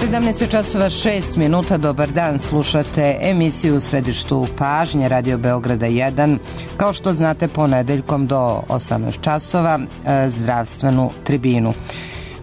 17 časova 6 minuta, dobar dan, slušate emisiju u središtu pažnje Radio Beograda 1. Kao što znate, ponedeljkom do 18 časova zdravstvenu tribinu.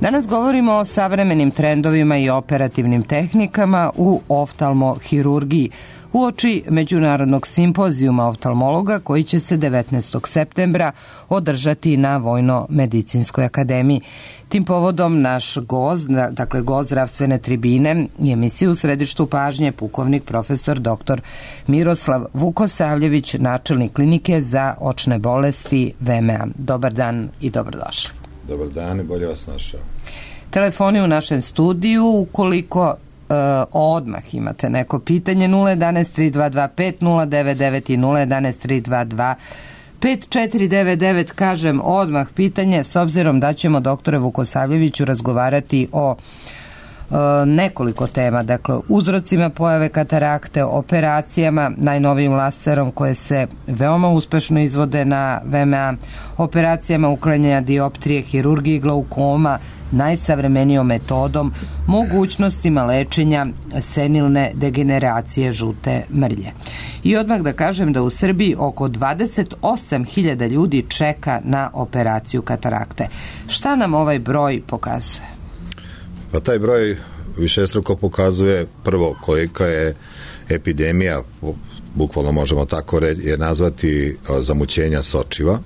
Danas govorimo o savremenim trendovima i operativnim tehnikama u oftalmohirurgiji uoči Međunarodnog simpozijuma oftalmologa koji će se 19. septembra održati na Vojno-medicinskoj akademiji. Tim povodom naš gost, dakle gost zdravstvene tribine i emisiju u središtu pažnje, pukovnik profesor dr. Miroslav Vukosavljević, načelnik klinike za očne bolesti VMA. Dobar dan i dobrodošli. Dobar dan i bolje vas našao. Telefoni u našem studiju, ukoliko odmah imate neko pitanje, 011-3225-099 i 011-322-5499, kažem odmah pitanje, s obzirom da ćemo doktore Vukosavljeviću razgovarati o nekoliko tema, dakle uzrocima pojave katarakte, operacijama, najnovijim laserom koje se veoma uspešno izvode na VMA, operacijama uklanjanja dioptrije, hirurgiji glaukoma, najsavremenijom metodom, mogućnostima lečenja senilne degeneracije žute mrlje. I odmah da kažem da u Srbiji oko 28.000 ljudi čeka na operaciju katarakte. Šta nam ovaj broj pokazuje? Pa taj broj višestruko pokazuje prvo kolika je epidemija, bukvalno možemo tako je nazvati, zamućenja sočiva,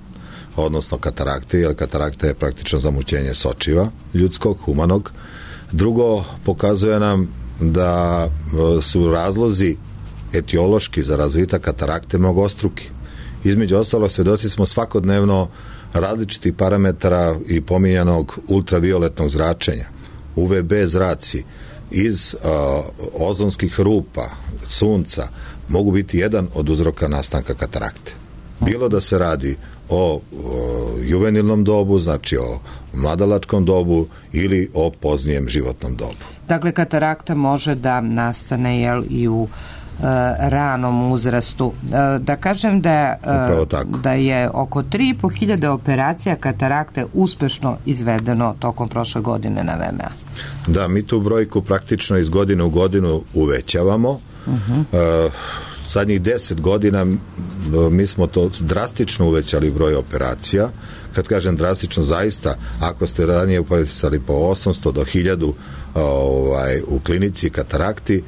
odnosno katarakte, jer katarakta je praktično zamućenje sočiva ljudskog, humanog. Drugo, pokazuje nam da su razlozi etiološki za razvitak katarakte mnogostruki. Između ostalog, svedoci smo svakodnevno različitih parametara i pominjanog ultravioletnog zračenja, UVB zraci iz ozonskih rupa, sunca, mogu biti jedan od uzroka nastanka katarakte. Bilo da se radi o juvenilnom dobu, znači o mladalačkom dobu ili o poznijem životnom dobu. Dakle, katarakta može da nastane i u ranom uzrastu. Da kažem da je oko 3.500 operacija katarakte uspešno izvedeno tokom prošle godine na VMA. Da, mi tu brojku praktično iz godine u godinu uvećavamo. Zadnjih 10 godina mi smo to drastično uvećali broj operacija. Kad kažem drastično, zaista, ako ste ranije upisali po 800 do 1000 u klinici katarakti,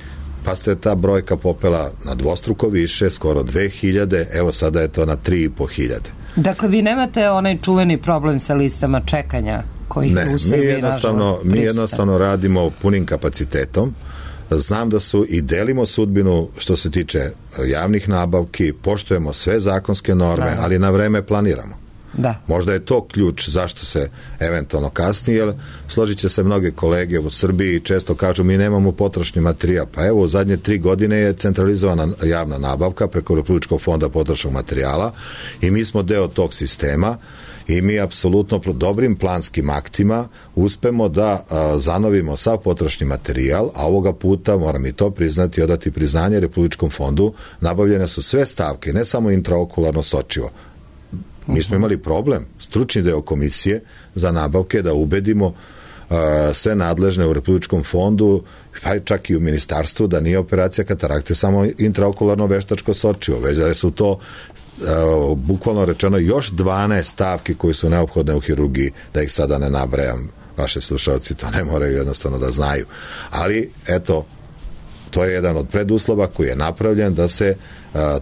pa ste ta brojka popela na dvostruko više, skoro 2000, evo sada je to na 3500. Dakle, vi nemate onaj čuveni problem sa listama čekanja koji u Srbiji mi jednostavno radimo punim kapacitetom. Znam da su i delimo sudbinu što se tiče javnih nabavki, poštujemo sve zakonske norme, ali na vreme planiramo. Da. Možda je to ključ zašto se eventualno kasni, jer složit će se mnoge kolege u Srbiji često kažu mi nemamo potrošni materijal. Pa evo, u zadnje 3 godine je centralizovana javna nabavka preko Republičkog fonda potrošnog materijala i mi smo deo tog sistema i mi apsolutno dobrim planskim aktima uspemo da zanovimo sav potrošni materijal, a ovoga puta, moram i to priznati, odati priznanje Republičkom fondu, nabavljene su sve stavke, ne samo intraokularno sočivo. Mi smo imali problem, stručni deo komisije za nabavke, da ubedimo sve nadležne u Republičkom fondu, pa čak i u ministarstvu, da nije operacija katarakte samo intraokularno veštačko sočivo, već da su to bukvalno rečeno još 12 stavki koje su neophodne u hirurgiji, da ih sada ne nabrajam, vaši slušalci to ne moraju jednostavno da znaju. Ali, eto, to je jedan od preduslova koji je napravljen da se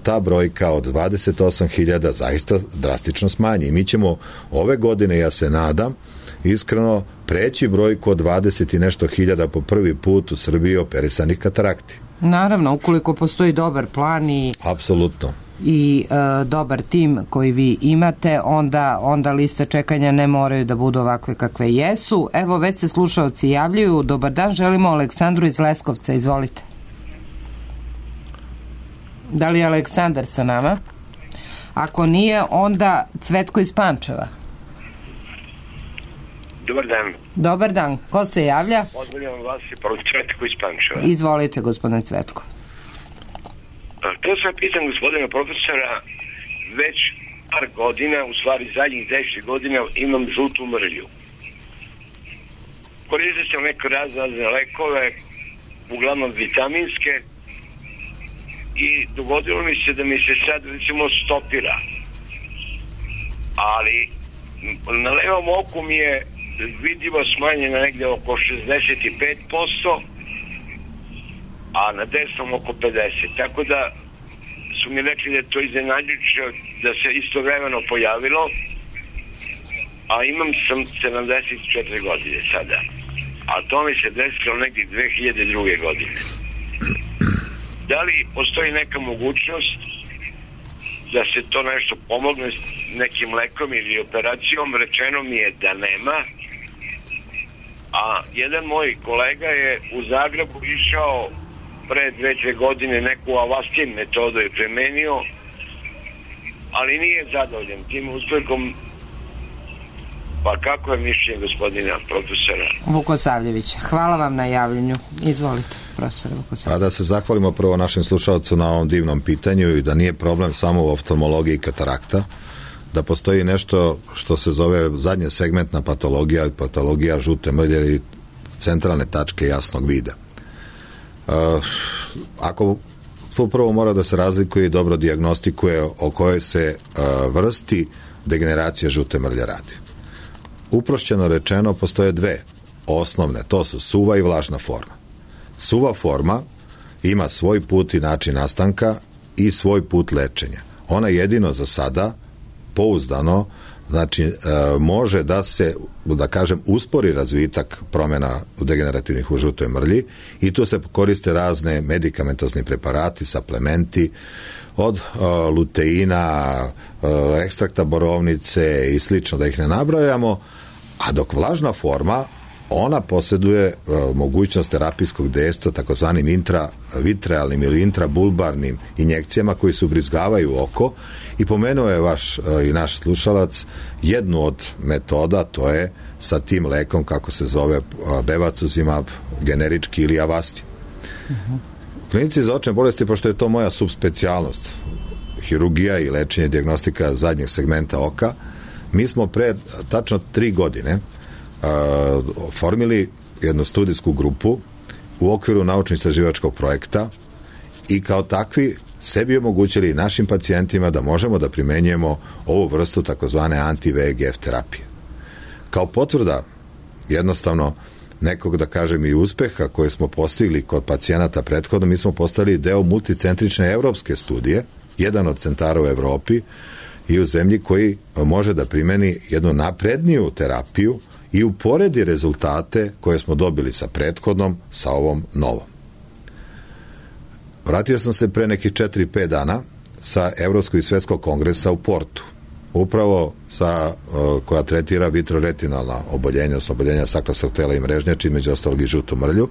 ta brojka od 28.000 zaista drastično smanji. I mi ćemo ove godine, ja se nadam, iskreno preći brojku od 20 i nešto hiljada po prvi put u Srbiji operisanih katarakti. Naravno, ukoliko postoji dobar plan i apsolutno i dobar tim koji vi imate, onda liste čekanja ne moraju da budu ovakve kakve jesu. Evo, već se slušaoci javljaju. Dobar dan, želimo Aleksandru iz Leskovca, izvolite. Da li je Aleksandar sa nama? Ako nije, onda Cvetko iz Pančeva. Dobar dan. Dobar dan. Ko se javlja? Pozdravljam vas i Cvetko iz Pančeva. Izvolite, gospodine Cvetko. To sam pitan gospodina profesora, već par godina, u stvari zadnjih 10 godina imam žutu mrlju. Koristio sam neke razne lekove, uglavnom vitaminske, i dogodilo mi se da mi se sad recimo stopira, ali na levom oku mi je vidljivo smanjeno negde oko 65%, a na desnom oko 50%, tako da su mi rekli da je to iznenađujuće da se istovremeno pojavilo, a imam sam 74 godine sada, a to mi se desilo negdje 2002. godine. Da li postoji neka mogućnost da se to nešto pomogne s nekim lekom ili operacijom? Rečeno mi je da nema, a jedan moj kolega je u Zagrebu išao pre 2-3 godine, neku Avastin metodu je primenio, ali nije zadovoljan tim uspehom. Pa kako je mišljenje gospodina profesora Vukosavljevića? Hvala vam na javljanju. Izvolite, profesor Vukosavljević. A da se zahvalimo prvo našem slušalcu na ovom divnom pitanju i da nije problem samo u oftalmologiji katarakta, da postoji nešto što se zove zadnje segmentna patologija, patologija žute mrlje ili centralne tačke jasnog vida. Ako tu prvo mora da se razlikuje i dobro dijagnostikuje o kojoj se vrsti degeneracije žute mrlje radi. Uprošćeno rečeno, postoje dve osnovne, to su suva i vlažna forma. Suva forma ima svoj put i način nastanka i svoj put lečenja. Ona jedino za sada pouzdano, znači može da se, da kažem, uspori razvitak promjena degenerativnih u žutoj mrlji i tu se koriste razne medikamentozni preparati, suplementi, od luteina, ekstrakta borovnice i slično, da ih ne nabrajamo, a dok vlažna forma, ona posjeduje mogućnost terapijskog dejstva takozvanim intravitrealnim ili intrabulbarnim injekcijama koji se ubrizgavaju oko, i pomenuo je vaš i naš slušalac jednu od metoda, to je sa tim lekom, kako se zove, bevacizumab generički ili Avastin. Klinici za očne bolesti, pošto je to moja subspecijalnost, hirurgija i lečenje, dijagnostika zadnjeg segmenta oka, mi smo pre tačno 3 godine formili jednu studijsku grupu u okviru naučno-istraživačkog projekta i kao takvi sebi omogućili našim pacijentima da možemo da primenjujemo ovu vrstu takozvane anti-VEGF terapije. Kao potvrda jednostavno nekog, da kažem, i uspeha koje smo postigli kod pacijenata prethodno, mi smo postali deo multicentrične evropske studije, jedan od centara u Evropi i u zemlji koji može da primeni jednu napredniju terapiju i uporedi rezultate koje smo dobili sa prethodnom sa ovom novom. Vratio sam se pre nekih 4-5 dana sa Evropskog i Svetskog kongresa u Portu, upravo koja tretira vitroretinalna oboljenja, oboljenja staklarskog tela i mrežnjači, među ostalog i žutu mrlju.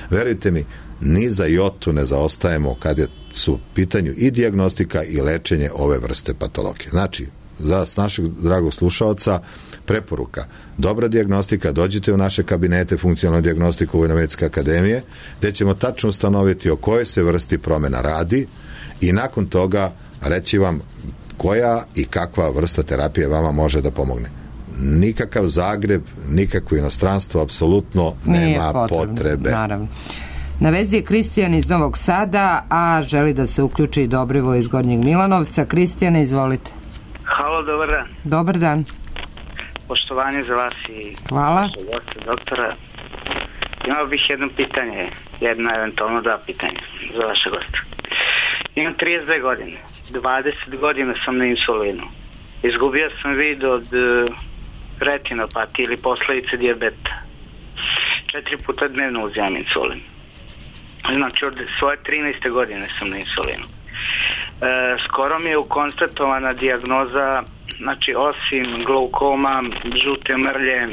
Verujte mi, ni za jotu ne zaostajemo kad su u pitanju i dijagnostika i lečenje ove vrste patologije. Znači, za našeg dragog slušaoca preporuka: dobra dijagnostika, dođite u naše kabinete funkcionalnu dijagnostiku Vojno-medicinske akademije, gde ćemo tačno ustanoviti o kojoj se vrsti promjena radi i nakon toga reći vam koja i kakva vrsta terapije vama može da pomogne. Nikakav Zagreb, nikakvo inostranstvo, apsolutno nema potrebe. Naravno. Na vezi je Kristijan iz Novog Sada, a želi da se uključi i Dobrivo iz Gornjeg Milanovca. Kristijane, izvolite. Halo, dobar dan. Dobar dan. Poštovanje za vas i hvala. Doktora. Imao bih jedno pitanje, jedno eventualno 2 pitanja za vaše goste. Imam 32 godine. 20 godina sam na insulinu. Izgubio sam vid od retinopatije ili posledice dijabeta. 4 puta dnevno uzimam insulin. Znači, od svoje 13. godine sam na insulinu. Skoro mi je konstatovana dijagnoza, znači osim glaukoma, žute mrlje,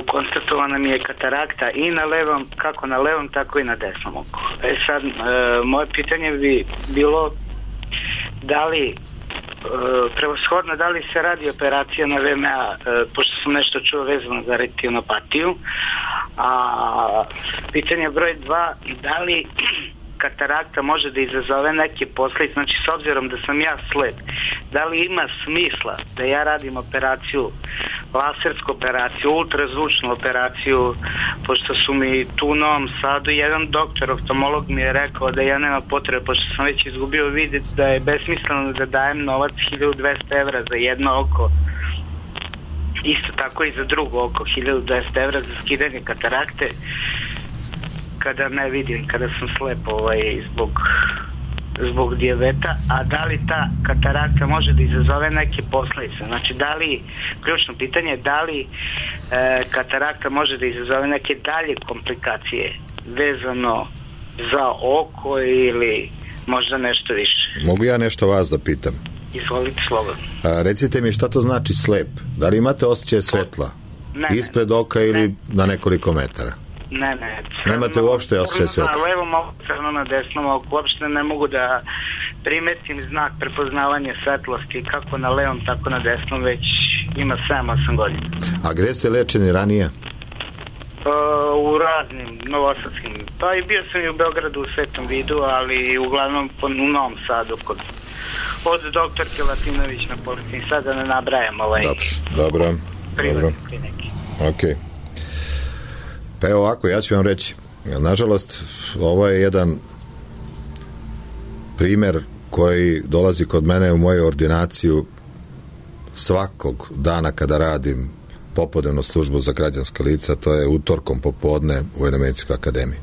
konstatovana mi je katarakta i na levom, kako na levom, tako i na desnom oku. Sad, moje pitanje bi bilo da li prevashodno, da li se radi operacija na VMA, pošto sam nešto čuo vezano za retinopatiju, a pitanje broj 2, da li katarakta može da izazove neke posljedice, znači s obzirom da sam ja slep, da li ima smisla da ja radim operaciju, lasersku operaciju, ultrazvučnu operaciju, pošto su mi tu u Novom Sadu, jedan doktor, oftalmolog mi je rekao da ja nema potrebe, pošto sam već izgubio vid, da je besmisleno da dajem novac 1200 evra za jedno oko, isto tako i za drugo oko, 1200 evra za skidanje katarakte, kada ne vidim, kada sam slep zbog dijabeta, a da li ta katarakta može da izazove neke posljedice, znači da li, ključno pitanje, da li katarakta može da izazove neke dalje komplikacije vezano za oko ili možda nešto više. Mogu ja nešto vas da pitam? Izvolite slobodno. Recite mi šta to znači slep? Da li imate osjećaj svetla? Ispred oka ili na nekoliko metara? Ne. Nemate uopšte osjećaj svetla? Na levom oku, crno na desnom oku. Uopšte ne mogu da primetim znak prepoznavanja svetlosti kako na levom, tako na desnom, već ima 7-8 godina. A gde ste lečeni ranije? U raznim novosadskim. Pa i bio sam i u Beogradu u Svetom Vidu, ali uglavnom u Novom Sadu od doktorke Latinović na Policiji. Sad da ne nabrajam Dobro. klinike. Ok. Pa evo ovako, ja ću vam reći. Nažalost, ovo je jedan primer koji dolazi kod mene u moju ordinaciju svakog dana kada radim popodnevnu službu za građanska lica, to je utorkom popodne u Vojnomedicinskoj akademiji.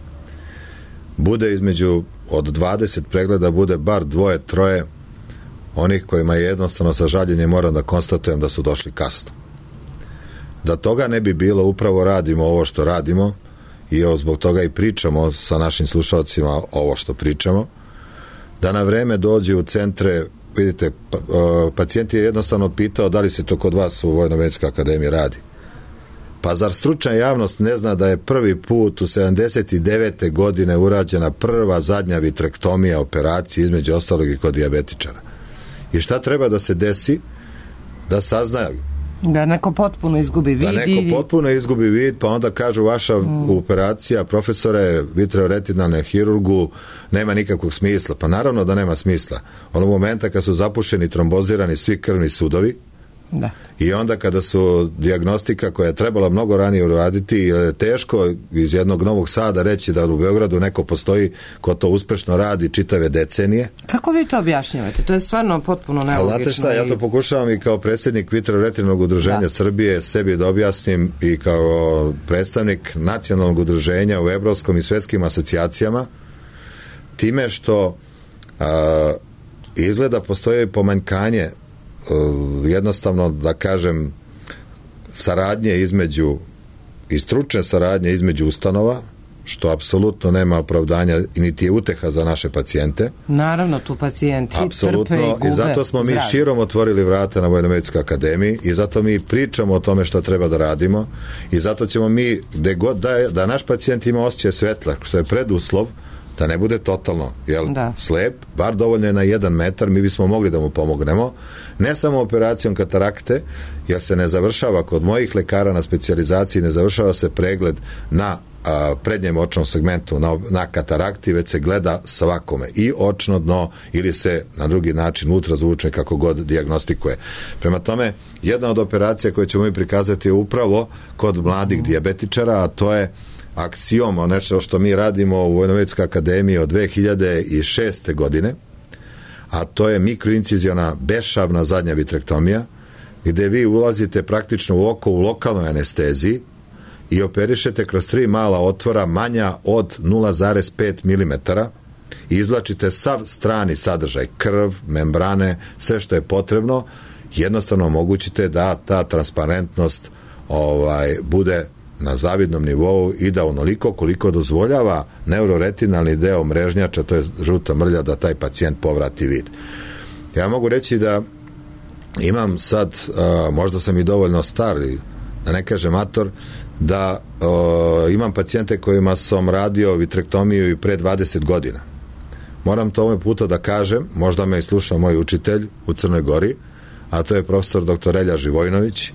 Bude između od 20 pregleda, bude bar 2-3 onih kojima je jednostavno sa žaljenjem moram da konstatujem da su došli kasno. Da toga ne bi bilo, upravo radimo ovo što radimo i zbog toga i pričamo sa našim slušalcima ovo što pričamo, da na vreme dođe u centre. Vidite, pacijent je jednostavno pitao da li se to kod vas u Vojnomedicinskoj akademiji radi. Pa zar stručna javnost ne zna da je prvi put u 79. godine urađena prva zadnja vitrektomija operacije, između ostalog i kod dijabetičara? I šta treba da se desi da saznaju? Da neko potpuno izgubi vid. Pa onda kažu vaša operacija, profesore, vitreoretinalne hirurgu, nema nikakvog smisla. Pa naravno da nema smisla. Onog momenta kad su zapušeni, trombozirani svi krvni sudovi, da. I onda kada su dijagnostika koja je trebala mnogo ranije uraditi, je teško iz jednog Novog Sada reći da u Beogradu neko postoji ko to uspešno radi čitave decenije. Kako vi to objašnjavate? To je stvarno potpuno nelogično. Znate šta, ja to pokušavam i kao predsjednik Vitreoretinalnog udruženja Srbije sebi da objasnim i kao predstavnik nacionalnog udruženja u evropskom i svetskim asocijacijama, time što izgleda postoji pomanjkanje jednostavno, da kažem, saradnje između i stručne saradnje između ustanova, što apsolutno nema opravdanja i niti je uteha za naše pacijente. Naravno, tu pacijenti trpe i gube. I zato smo mi širom otvorili vrata na Vojnomedicinskoj akademiji i zato mi pričamo o tome što treba da radimo i zato ćemo mi, gde god da naš pacijent ima osjećaj svetla, što je preduslov da ne bude totalno slep, bar dovoljno je na 1 metar, mi bismo mogli da mu pomognemo, ne samo operacijom katarakte, jer se ne završava kod mojih lekara na specijalizaciji, ne završava se pregled na prednjem očnom segmentu na katarakti, već se gleda svakome i očno dno ili se na drugi način ultrazvučne kako god dijagnostikuje. Prema tome, jedna od operacija koje ćemo mi prikazati je upravo kod mladih dijabetičara, a to je aksiom, nešto što mi radimo u Vojnomedicinskoj akademiji od 2006. godine, a to je mikroinciziona bešavna zadnja vitrektomija, gde vi ulazite praktično u oko u lokalnoj anesteziji i operišete kroz 3 mala otvora manja od 0,5 mm i izvlačite sav strani sadržaj, krv, membrane, sve što je potrebno, jednostavno omogućite da ta transparentnost bude na zavidnom nivou i da onoliko koliko dozvoljava neuroretinalni deo mrežnjača, to je žuta mrlja, da taj pacijent povrati vid. Ja mogu reći da imam sad, možda sam i dovoljno star, da ne kažem mator, da imam pacijente kojima sam radio vitrektomiju i pre 20 godina. Moram to ovaj puta da kažem, možda me i sluša moj učitelj u Crnoj Gori, a to je profesor dr. Elja Živojnović,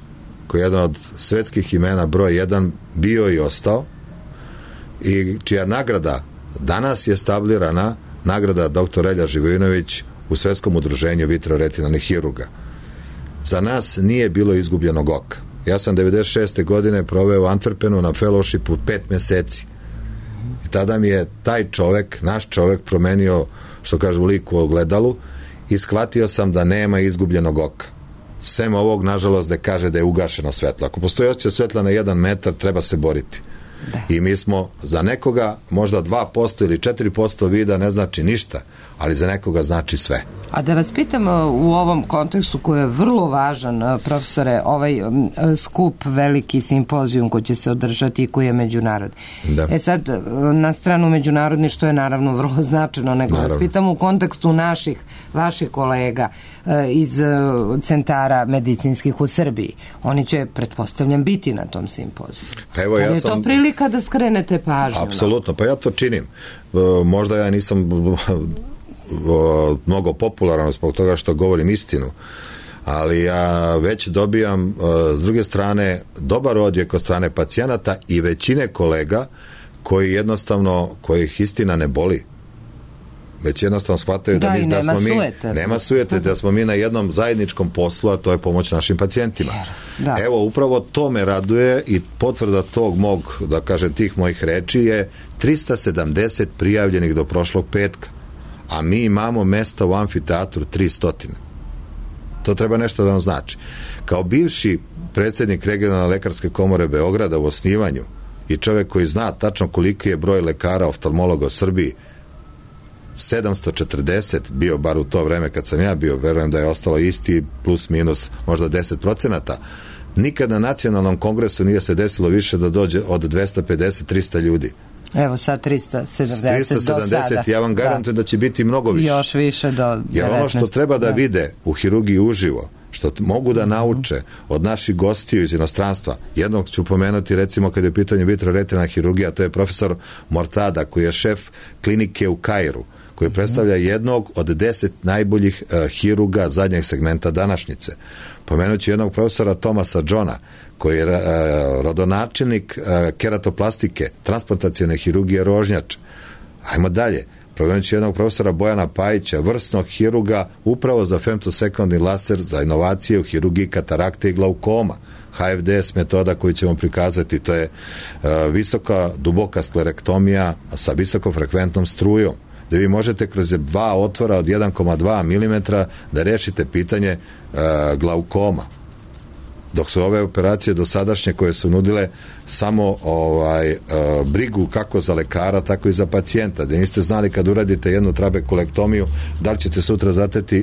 koji je jedan od svetskih imena broj 1 bio i ostao i čija nagrada Danas je stablirana nagrada dr. Relja Živojinović u Svetskom udruženju vitroretinalnih hirurga. Za nas nije bilo izgubljenog oka. Ja sam 96. godine proveo u Antwerpenu na fellowshipu 5 meseci. I tada mi je taj čovek, naš čovek, promenio, što kažu, lik u ogledalu i shvatio sam da nema izgubljenog oka. Sem ovog, nažalost, da kaže da je ugašeno svetlo. Ako postoji osjećaj svetla na 1 metar, treba se boriti. Da. I mi smo za nekoga možda 2% ili 4% vida ne znači ništa, ali za nekoga znači sve. A da vas pitam u ovom kontekstu koji je vrlo važan, profesore, ovaj skup, veliki simpozijum koji će se održati i koji je međunarodni. Da. Sad, na stranu međunarodni, što je naravno vrlo značajno, nego vas pitam u kontekstu vaših kolega iz centara medicinskih u Srbiji. Oni će, pretpostavljam, biti na tom simpoziju. Pa evo, je to prilika da skrenete pažnju? Apsolutno, pa ja to činim. Možda ja nisam mnogo popularan zbog toga što govorim istinu, ali ja već dobijam s druge strane dobar odjek od strane pacijenata i većine kolega koji jednostavno, kojih istina ne boli, već jednostavno shvataju da nema sujete, da smo mi na jednom zajedničkom poslu, a to je pomoć našim pacijentima. Da. Evo, upravo to me raduje i potvrda tog mog, da kažem, tih mojih reči je 370 prijavljenih do prošlog petka, a mi imamo mesta u amfiteatru 300. To treba nešto da vam znači. Kao bivši predsjednik regionalne lekarske komore Beograda u osnivanju i čovjek koji zna tačno koliki je broj lekara oftalmologa u Srbiji, 740 bio bar u to vreme kad sam ja bio, verujem da je ostalo isti, plus minus možda 10%. Nikad na nacionalnom kongresu nije se desilo više da dođe od 250-300 ljudi. Evo sad 370 do sada. Ja vam garantujem da će biti mnogo više. Još više do 19. Jer ono što treba da vide u hirurgiji uživo, što mogu da nauče od naših gostiju iz inostranstva, jednog ću pomenuti recimo kad je u pitanju vitroretinalna hirurgija, to je profesor Mortada koji je šef klinike u Kairu, koji predstavlja jednog od 10 najboljih hirurga zadnjeg segmenta današnjice. Pomenut ću jednog profesora Tomasa Johna, koji je rodonačelnik keratoplastike, transplantacione hirurgije Rožnjač. Ajmo dalje. Pomenut ću jednog profesora Bojana Pajića, vrsnog hirurga upravo za femtosekundni laser za inovacije u hirurgiji katarakte i glaukoma. HFDS metoda koju ćemo prikazati, to je visoka, duboka sklerektomija sa visokofrekventnom strujom, da vi možete kroz 2 otvora od 1,2 mm da rešite pitanje glaukoma. Dok su ove operacije dosadašnje koje su nudile samo brigu kako za lekara, tako i za pacijenta, da niste znali kad uradite jednu trabekulektomiju da li ćete sutra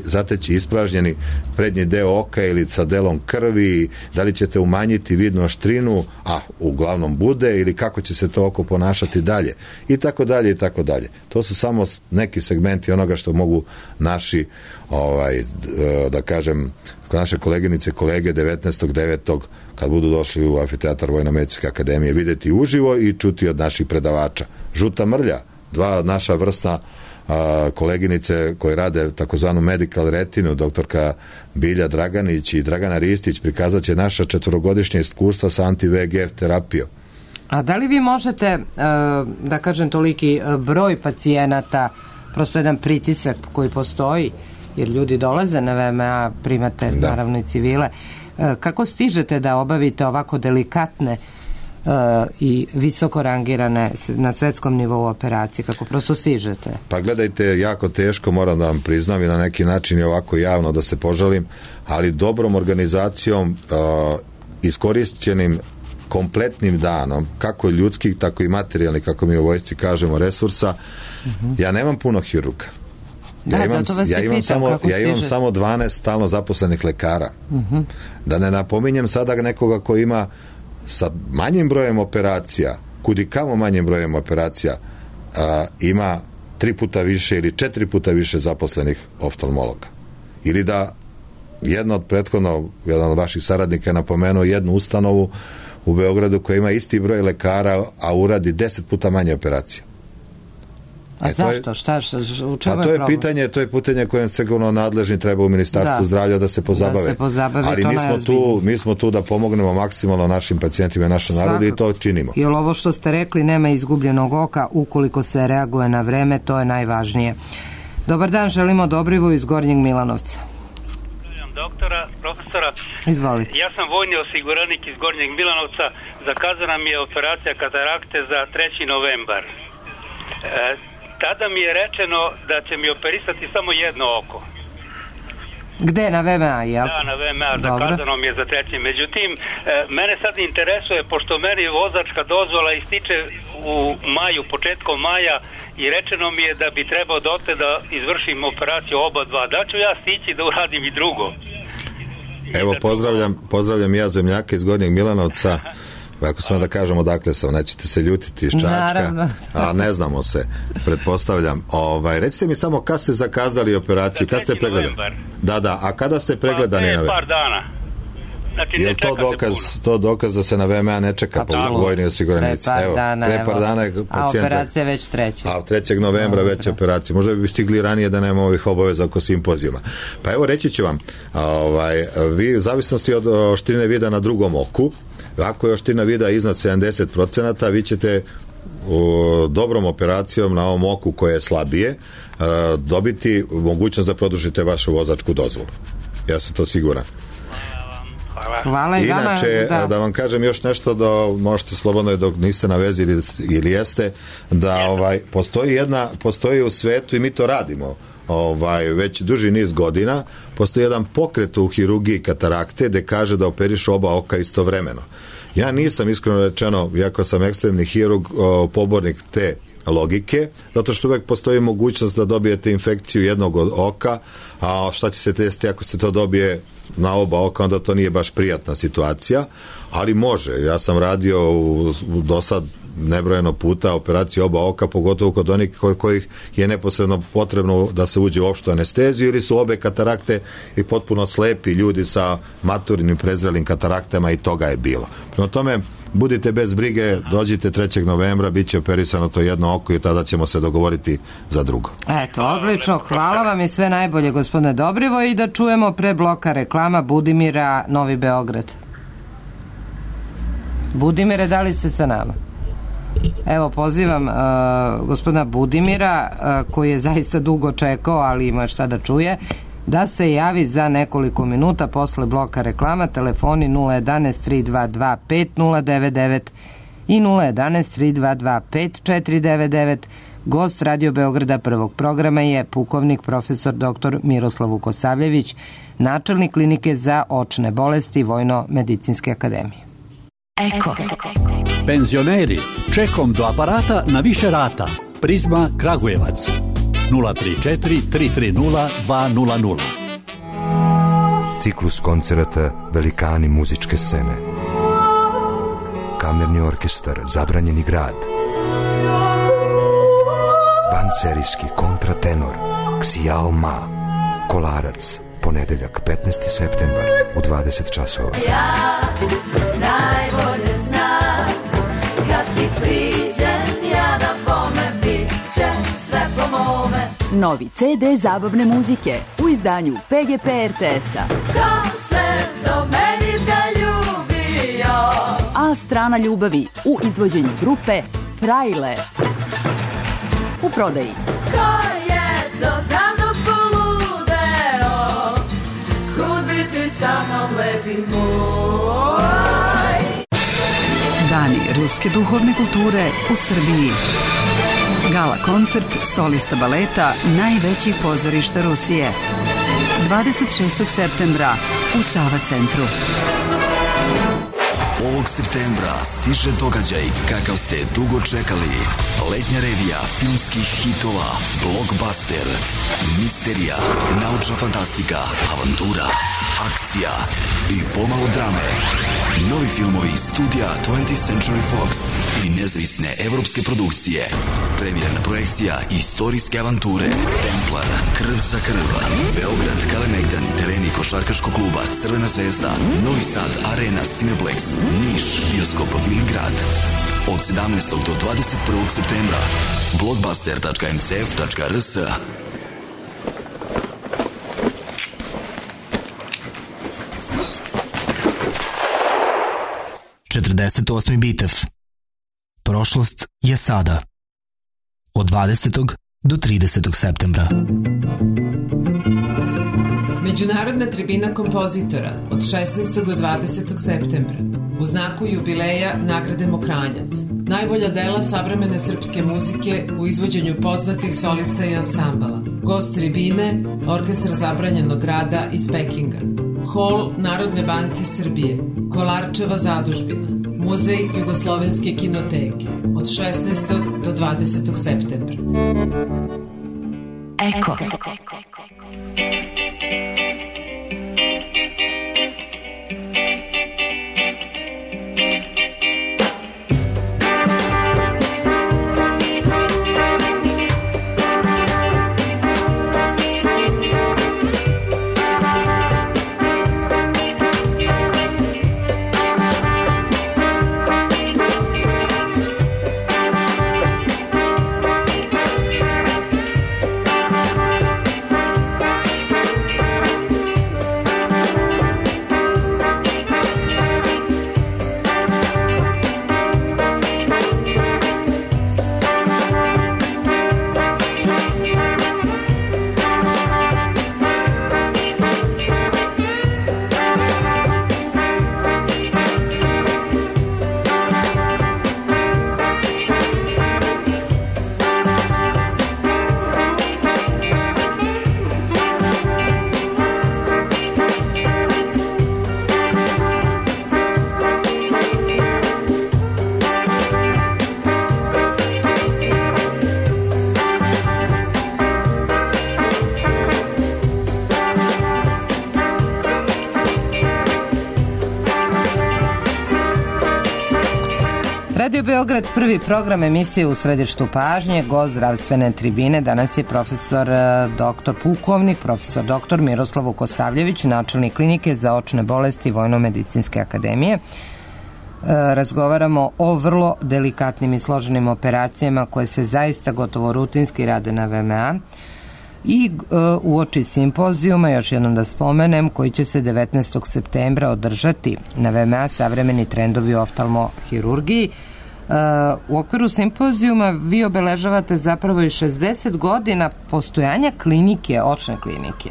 zateći ispražnjeni prednji deo oka ili sa delom krvi, da li ćete umanjiti vidnu oštrinu, a uglavnom bude, ili kako će se to oko ponašati dalje, i tako dalje, i tako dalje. To su samo neki segmenti onoga što mogu naši da kažem, naše koleginice i kolege 19.9. kad budu došli u amfiteatar Vojno-medicinske akademije vidjeti uživo i čuti od naših predavača. Žuta mrlja, 2 naša vrsta koleginice koje rade takozvanu medical retinu, doktorka Bilja Draganić i Dragana Ristić, prikazat će naša 4-godišnja iskustva sa anti-VEGF terapijom. A da li vi možete, da kažem, toliki broj pacijenata, prosto jedan pritisak koji postoji, jer ljudi dolaze na VMA, primate naravno i civile, kako stižete da obavite ovako delikatne i visoko rangirane na svetskom nivou operacije, kako prosto stižete? Pa gledajte, jako teško, moram da vam priznam i na neki način je ovako javno da se požalim, ali dobrom organizacijom, iskorišćenim kompletnim danom, kako ljudskih, tako i materijalnih, kako mi u vojsci kažemo, resursa, ja nemam puno hirurga. Ja imam samo 12 stalno zaposlenih lekara. Da ne napominjem sada nekoga ko ima sa manjim brojem operacija, kudikamo manjim brojem operacija, ima 3 puta više ili 4 puta više zaposlenih oftalmologa. Ili da jedan od vaših saradnika je napomenuo jednu ustanovu u Beogradu koja ima isti broj lekara, a uradi 10 puta manje operacija. A zašto? U čemu je problem? To je pitanje kojem sigurno nadležni treba u Ministarstvu zdravlja da se pozabave. Ali mi smo tu da pomognemo maksimalno našim pacijentima i našem narodu i to činimo. Jer ovo što ste rekli, nema izgubljenog oka ukoliko se reaguje na vreme, to je najvažnije. Dobar dan, želimo Dobrivoju iz Gornjeg Milanovca. Profesora, izvolite. Ja sam vojni osiguranik iz Gornjeg Milanovca, zakazana mi je operacija katarakte za 3. novembar. Tada mi je rečeno da će mi operisati samo jedno oko. Gde, na VMA, jel? Da, na VMA, zakazano mi je za 3. Međutim, mene sad interesuje, pošto meni vozačka dozvola ističe u maju, početkom maja, i rečeno mi je da bi trebao dotle da izvršim operaciju oba dva. Da ću ja stići da uradim i drugo? Evo, pozdravljam ja zemljaka iz Gornjeg Milanovca. Ako smo da kažemo odakle sam, nećete se ljutiti iz Čačka, a ne znamo se, pretpostavljam. Recite mi samo kada ste zakazali operaciju, kada ste pregledani? Da, a kada ste pregledani? Pa par dana. Znači, je li to dokaz da se na VMA ne čeka po vojni osiguranici? Pre par dana je pacijent. A operacija već 3. A 3. novembra već operacija. Možda bi stigli ranije da nema ovih obaveza oko simpozijuma. Pa evo, reći ću vam, vi u zavisnosti od oštrine vida na drugom oku, ako je oštrina vida iznad 70%, vi ćete dobrom operacijom na ovom oku koje je slabije dobiti mogućnost da produžite vašu vozačku dozvolu. Ja sam to siguran. Hvala i vama. Inače, da vam kažem još nešto, da možete slobodno dok niste na vezi ili jeste, da postoji u svetu i mi to radimo već duži niz godina, postoji jedan pokret u hirurgiji katarakte gde kaže da operiš oba oka istovremeno. Ja nisam, iskreno rečeno, iako sam ekstremni hirurg, pobornik te logike, zato što uvek postoji mogućnost da dobijete infekciju jednog od oka, a šta će se desiti ako se to dobije na oba oka, onda to nije baš prijatna situacija, ali može. Ja sam radio do sad nebrojeno puta operacije oba oka, pogotovo kod onih kojih je neposredno potrebno da se uđe u opštu anesteziju ili su obe katarakte i potpuno slepi ljudi sa maturnim prezrelim kataraktama i toga je bilo. Prema tome, budite bez brige, dođite 3. novembra, bit će operisano to jedno oko i tada ćemo se dogovoriti za drugo. Eto, odlično, hvala vam i sve najbolje, gospodine Dobrivo, i da čujemo pre bloka reklama Budimira, Novi Beograd. Budimire, da li ste sa nama? Evo, pozivam gospodina Budimira, koji je zaista dugo čekao, ali ima šta da čuje, da se javi za nekoliko minuta posle bloka reklama. Telefoni 011 322 5099 i 011 322 5499. Gost Radio Beograda prvog programa je pukovnik profesor dr. Miroslav Vukosavljević, načelnik klinike za očne bolesti Vojno-medicinske akademije. Eko. Penzioneri, čekom do aparata na više rata. Prizma Kragujevac 034 330 200. Ciklus koncerata Velikani muzičke scene. Kamerni orkestar Zabranjeni grad. Vanserijski kontratenor Xiao Ma. Kolarac, ponedeljak 15. septembar u 20 časova. Ja najbolje znam kad ti priđem ja na bome bit će sve po mome. Novi CD zabavne muzike u izdanju PGP RTS-a. Ko se do meni zaljubio? A strana ljubavi u izvođenju grupe Frajle. U prodaji. Ko je to za mnom poludeo? Kud bi ti sa mnom lepi moj? Dani ruske duhovne kulture u Srbiji. Gala koncert solista baleta najvećih pozorišta Rusije. 26. septembra u Sava centru. Ovog septembra stiže događaj kakav ste dugo čekali. Letnja revija filmskih hitova, blockbuster, misterija, naučna fantastika, avantura, akcija i pomalo drame. Novi filmovi studija 20th Century Fox i nezavisne evropske produkcije. Premijerna projekcija istorijske avanture Templar, Krv za krv, Beograd, Kalemegdan, tereni košarkaškog kluba Crvena zvezda, Novi Sad, Arena, Cineplex, Niš, bioskop Viligrad. od 17. do 21. septembra. Blockbuster.mcf.rs 48. bitev. Prošlost je sada. Od 20. do 30. septembra. Međunarodna tribina kompozitora od 16. do 20. septembra. U znaku jubileja nagrade Mokranjac. Najbolja dela savremene srpske muzike u izvođenju poznatih solista i ansambala. Gost tribine, Orkestar zabranjenog rada iz Pekinga. Hol Narodne banke Srbije. Kolarčeva zadužbina. Muzej Jugoslovenske kinoteke. Od 16. do 20. septembra. Eko. Radio Beograd, prvi program emisije u središtu pažnje, gost zdravstvene tribine. Danas je profesor doktor pukovnik, profesor doktor Miroslav Vukosavljević, načelnik klinike za očne bolesti Vojno-medicinske akademije. Razgovaramo o vrlo delikatnim i složenim operacijama koje se zaista gotovo rutinski rade na VMA. I uoči simpozijuma, još jednom da spomenem, koji će se 19. septembra održati na VMA savremeni trendovi u oftalmohirurgiji. U okviru simpozijuma vi obeležavate zapravo i 60 godina postojanja klinike, očne klinike.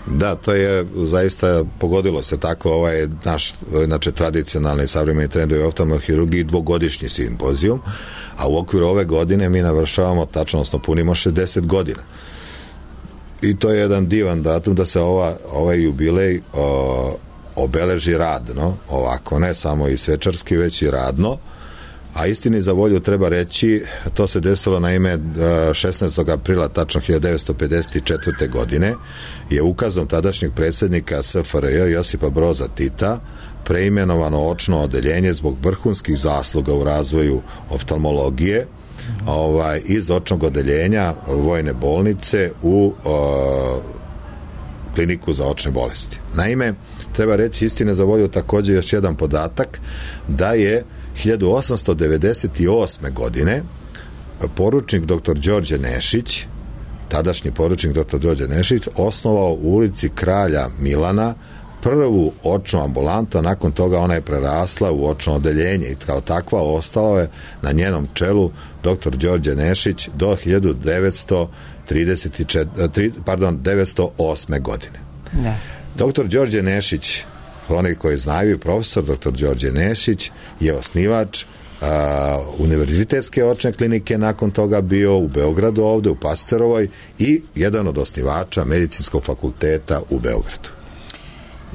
Da, to je zaista pogodilo se tako, ovaj naš znači tradicionalni savremeni trendovi u oftalmohirurgiji dvogodišnji simpozijum, a u okviru ove godine mi navršavamo, tačno odnosno punimo 60 godina. I to je jedan divan datum da se ovaj jubilej obeleži radno, ovako, ne samo i svečarski, već i radno. A istini za volju treba reći, to se desilo na ime 16. aprila, tačno 1954. godine, je ukazom tadašnjeg predsjednika SFRJ Josipa Broza Tita preimenovano očno odeljenje zbog vrhunskih zasluga u razvoju oftalmologije iz očnog odeljenja vojne bolnice u kliniku za očne bolesti. Naime, treba reći istine za volju također još jedan podatak, da je 1898. godine poručnik dr. Đorđe Nešić, tadašnji poručnik dr. Đorđe Nešić, osnovao u ulici Kralja Milana prvu očnu ambulantu, a nakon toga ona je prerasla u očno odeljenje i kao takva ostala je na njenom čelu dr. Đorđe Nešić do 1908. godine. Da. Dr. Đorđe Nešić, oni koji znaju, profesor dr. Đorđe Nešić je osnivač univerzitetske očne klinike, nakon toga bio u Beogradu ovde, u Pasterovoj, i jedan od osnivača medicinskog fakulteta u Beogradu.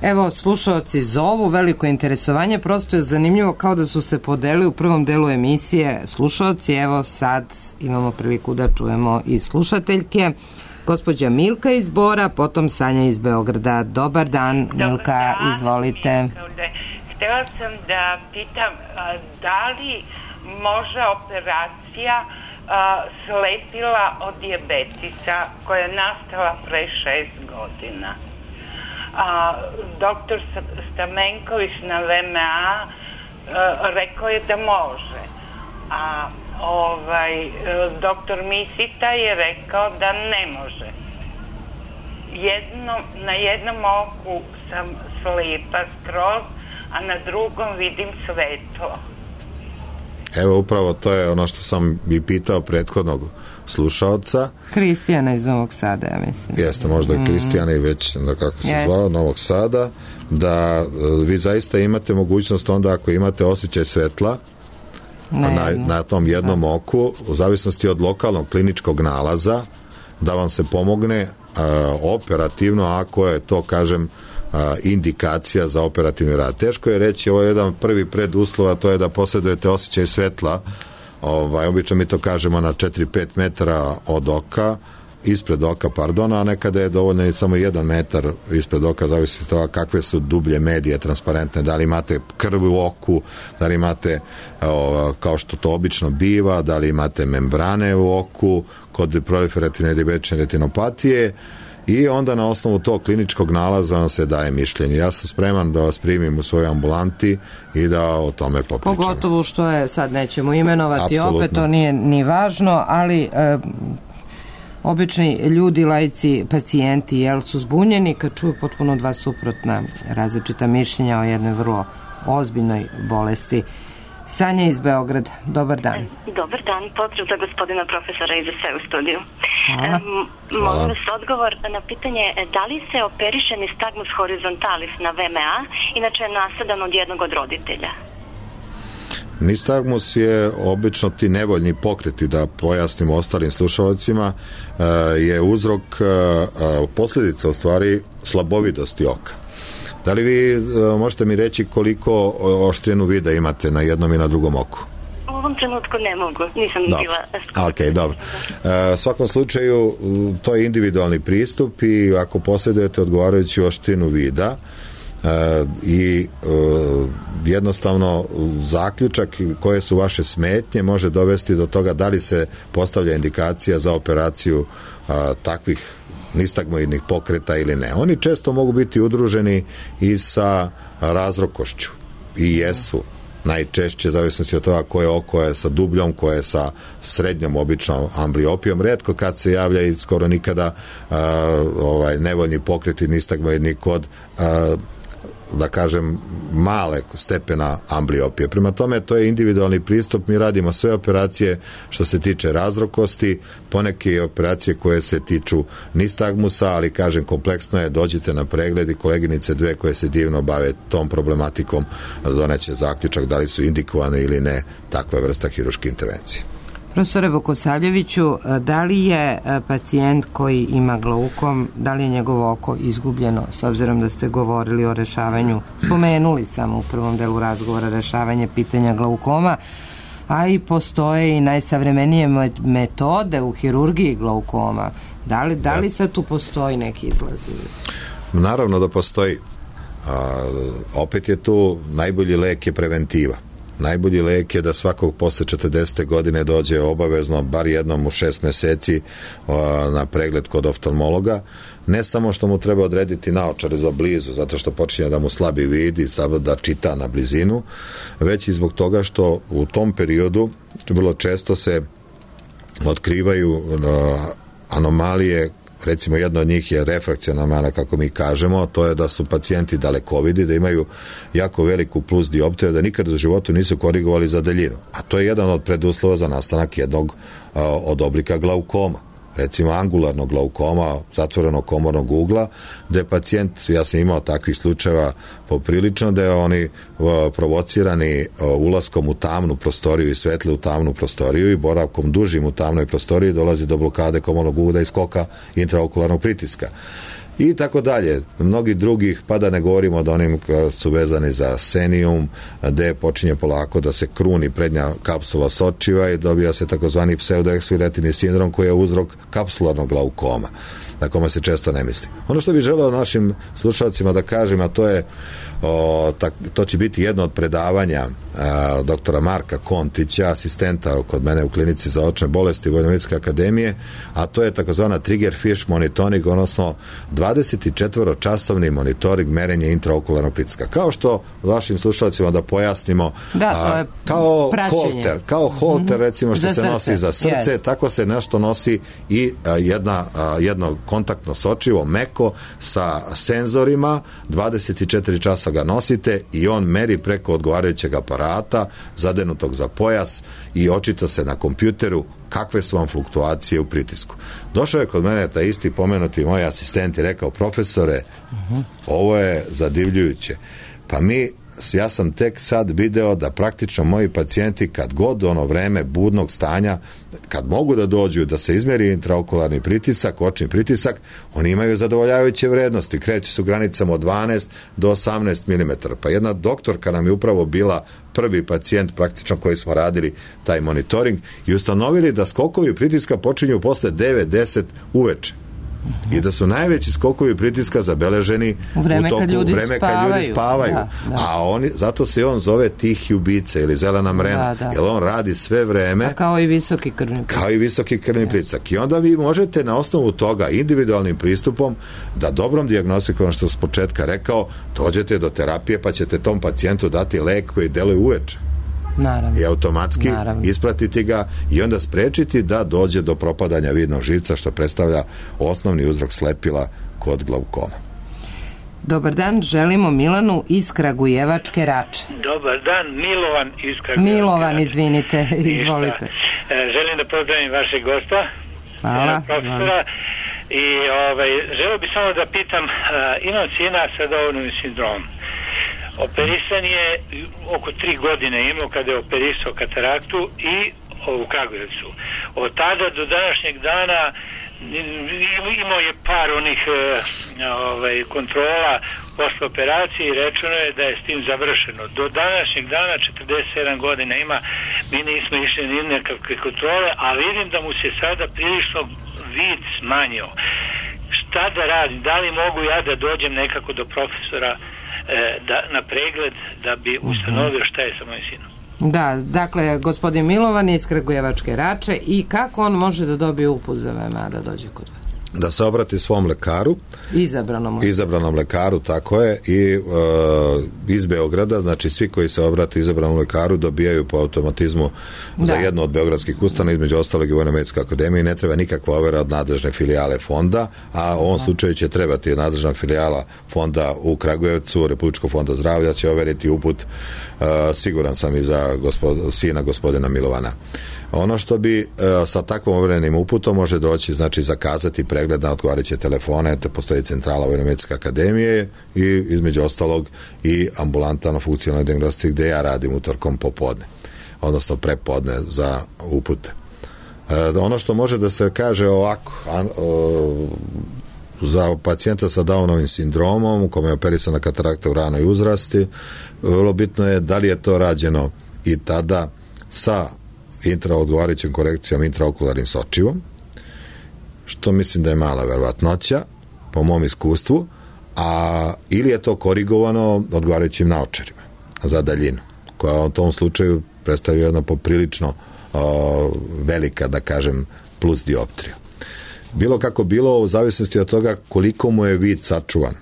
Evo, slušalci zovu, veliko interesovanje, prosto je zanimljivo kao da su se podeli u prvom delu emisije slušalci. Evo sad imamo priliku da čujemo i slušateljke. Gospođa Milka iz Bora, potom Sanja iz Beograda. Dobar dan, Milka, izvolite. Htela sam da pitam, da li može operacija slepila od dijabetisa koja je nastala pre 6 godina? Doktor Stamenković na VMA rekao je da može. a doktor Misita je rekao da ne može. Na jednom oku sam slijepa skroz, a na drugom vidim svetlo. Evo, upravo to je ono što sam i pitao prethodnog slušaoca. Kristijana iz Novog Sada, ja mislim. Jeste, možda i Kristijana i već, kako se zvao, Novog Sada, da vi zaista imate mogućnost onda ako imate osjećaj svetla na tom jednom oku, u zavisnosti od lokalnog kliničkog nalaza, da vam se pomogne operativno, ako je to, kažem, indikacija za operativni rad. Teško je reći, ovo je jedan prvi preduslov, a to je da posjedujete osjećaj svetla, obično mi to kažemo na 4-5 metara od oka, ispred oka, a nekada je dovoljno i samo 1 metar ispred oka, zavisi od toga kakve su dublje medije transparentne, da li imate krv u oku, da li imate, kao što to obično biva, da li imate membrane u oku kod proliferativne dijabetične retinopatije, i onda na osnovu tog kliničkog nalaza vam se daje mišljenje. Ja sam spreman da vas primim u svojoj ambulanti i da o tome popričamo. Pogotovo što je, sad nećemo imenovati, apsolutno. Opet to nije ni važno, ali obični ljudi, laici, pacijenti, su zbunjeni kad čuju potpuno dva suprotna različita mišljenja o jednoj vrlo ozbiljnoj bolesti. Sanja iz Beograda, dobar dan. Dobar dan, pozdrav za gospodina profesora i za sve u studiju. Hvala. Molim vas odgovor na pitanje da li se operiše nistagmus horizontalis na VMA, inače je nasadan od jednog od roditelja? Nistagmus je obično ti nevoljni pokreti, da pojasnim ostalim slušalcima, je uzrok, posljedica u stvari slabovidosti oka. Da li vi možete mi reći koliko oštrinu vida imate na jednom i na drugom oku? U ovom trenutku ne mogu, nisam bila... Ok, dobro. U svakom slučaju, to je individualni pristup i ako posjedujete odgovarajuću oštrinu vida i jednostavno zaključak koje su vaše smetnje može dovesti do toga da li se postavlja indikacija za operaciju takvih nistagmoidnih pokreta ili ne. Oni često mogu biti udruženi i sa razrokošću i jesu najčešće, zavisnosti od toga koje oko je sa dubljom, koje je sa srednjom običnom ambliopijom. Retko kad se javlja i skoro nikada nevoljni pokreti nistagmoidni kod da kažem male stepena ambliopije. Prema tome, to je individualni pristup. Mi radimo sve operacije što se tiče razrokosti, poneke operacije koje se tiču nistagmusa, ali kažem, kompleksno je, dođite na pregled i koleginice dve koje se divno bave tom problematikom doneće zaključak da li su indikovane ili ne takva vrsta hiruške intervencije. Profesore Vukosavljeviću, da li je pacijent koji ima glaukom, da li je njegovo oko izgubljeno, s obzirom da ste govorili o rešavanju, spomenuli samo u prvom delu razgovora rešavanje pitanja glaukoma, a i postoje i najsavremenije metode u hirurgiji glaukoma. Da li sad tu postoji neki izlaz? Naravno da postoji. Opet je tu najbolji lek je preventiva. Najbolji lek je da svakog posle 40. godine dođe obavezno bar jednom u 6 meseci na pregled kod oftalmologa. Ne samo što mu treba odrediti naočare za blizu, zato što počinje da mu slabi vid i da čita na blizinu, već i zbog toga što u tom periodu vrlo često se otkrivaju anomalije. Recimo, jedna od njih je refrakciona anomala, kako mi kažemo, to je da su pacijenti dalekovidi, da imaju jako veliku plus dioptriju, da nikada u životu nisu korigovali za daljinu. A to je jedan od preduslova za nastanak jednog od oblika glaukoma. Recimo angularnog glaukoma, zatvorenog komornog ugla, gde pacijent, ja sam imao takvih slučajeva poprilično, da je oni provocirani ulaskom u tamnu prostoriju i svetle u tamnu prostoriju i boravkom dužim u tamnoj prostoriji dolazi do blokade komornog ugla i skoka intraokularnog pritiska. I tako dalje. Mnogi drugih, pa da ne govorimo da onim su vezani za senium, gde počinje polako da se kruni prednja kapsula sočiva i dobija se takozvani pseudoeksfiliativni sindrom koji je uzrok kapsularnog glaukoma, na kome se često ne misli. Ono što bih želeo našim slušalcima da kažem, a to je to će biti jedno od predavanja doktora Marka Kontića, asistenta kod mene u klinici za očne bolesti Vojno-medicinske akademije, a to je takozvana trigger fish monitoring, odnosno 2 24-časovni monitoring merenja intraokularnog pritiska. Kao što vašim slušalcima da pojasnimo, to je kao praćenje. holter recimo što se nosi za srce, Yes. tako se nešto nosi i jedno kontaktno sočivo, meko, sa senzorima, 24 časa ga nosite i on meri preko odgovarajućeg aparata, zadenutog za pojas i očita se na kompjuteru kakve su vam fluktuacije u pritisku. Došao je kod mene taj isti pomenuti moj asistent i rekao, profesore, ovo je zadivljujuće. Pa ja sam tek sad video da praktično moji pacijenti kad god ono vreme budnog stanja, kad mogu da dođu da se izmeri intraokularni pritisak, očni pritisak, oni imaju zadovoljavajuće vrednosti, kreću su granicama od 12 do 18 mm. Pa jedna doktorka nam je upravo bila prvi pacijent praktično koji smo radili taj monitoring i ustanovili da skokovi pritiska počinju posle 9-10 uveče. I da su najveći skokovi pritiska zabeleženi u vreme kad ljudi spavaju. Da. Zato se on zove tihi ubica ili zelena mrena, jer on radi sve vreme. Kao i visoki krvni pritisak. I onda vi možete na osnovu toga individualnim pristupom da dobrom dijagnostikom, što sam s početka rekao, dođete do terapije pa ćete tom pacijentu dati lek koji deluje uveče. Naravno. I automatski ispratiti ga i onda sprečiti da dođe do propadanja vidnog živca, što predstavlja osnovni uzrok slepila kod glaukoma. Dobar dan, želimo Milanu iz Kragujevačke Rače. Dobar dan, Milovan iz Kragujevačke Milovan, izvinite, izvolite. Želim da pozdravim vašeg gosta, profesora, i želeo bih samo da pitam, imam sina sa Downovim sindromom. Operisan je oko 3 godine imao kada je operisao kataraktu i u Kragujevcu. Od tada do današnjeg dana imao je par onih kontrola posle operacije i rečeno je da je s tim završeno. Do današnjeg dana 47 godina ima, mi nismo išli ni nekakve kontrole, a vidim da mu se sada prilično vid smanjio. Šta da radim? Da li mogu ja da dođem nekako do profesora na pregled da bi ustanovio šta je sa mojim sinom? Da, dakle, gospodin Milovan iz Kragujevačke Rače, i kako on može da dobije uput za VMA da dođe kod vas? Da se obrati svom lekaru, izabranom lekaru, tako je, i iz Beograda, znači svi koji se obrate izabranom lekaru dobijaju po automatizmu za jednu od beogradskih ustanova, između ostalog i Vojno-medicinska akademija, i ne treba nikakva overa od nadležne filijale fonda, a u ovom slučaju će trebati nadležna filijala fonda u Kragujevcu, Republičkog fonda zdravlja će overiti uput, siguran sam, i za sina gospodina Milovana. Ono što bi sa takvom overenim uputom može doći, znači zakazati pregled na odgovarajuće telefone, te postoji centrala Vojno-medicinske akademije i između ostalog i ambulanta na funkcionalnoj dijagnostici gde ja radim utorkom popodne, odnosno prepodne za upute. Ono što može da se kaže ovako, za pacijenta sa Downovim sindromom u kome je operisana katarakta u ranoj uzrasti, vrlo bitno je da li je to rađeno i tada sa odgovarajućom korekcijom intraokularnim sočivom, što mislim da je mala verovatnoća po mom iskustvu, ili je to korigovano odgovarajućim naočarima za daljinu, koja u tom slučaju predstavlja jedno poprilično velika, da kažem, plus dioptrija. Bilo kako bilo, u zavisnosti od toga koliko mu je vid sačuvan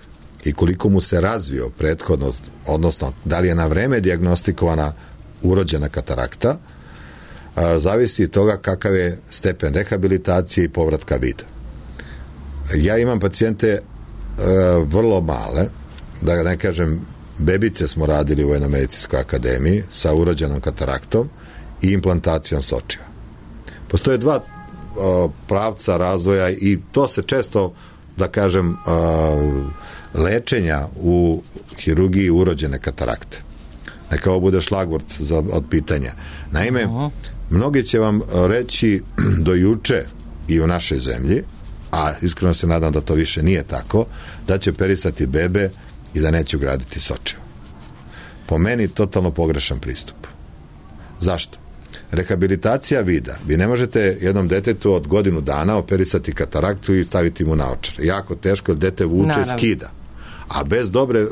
i koliko mu se razvio prethodno, odnosno da li je na vreme dijagnostikovana urođena katarakta, zavisi od toga kakav je stepen rehabilitacije i povratka vida. Ja imam pacijente vrlo male, da ne kažem bebice smo radili u Vojno-medicinskoj akademiji sa urođenom kataraktom i implantacijom sočiva. Postoje dva pravca razvoja i to se često, da kažem, lečenja u hirurgiji urođene katarakte. Neka ovo bude šlagvort od pitanja. Naime, mnogi će vam reći do juče i u našoj zemlji, a iskreno se nadam da to više nije tako, da će operisati bebe i da neće ugraditi sočivo. Po meni totalno pogrešan pristup. Zašto? Rehabilitacija vida. Vi ne možete jednom detetu od godinu dana operisati kataraktu i staviti mu naočar. Jako teško, jer dete vuče i skida. A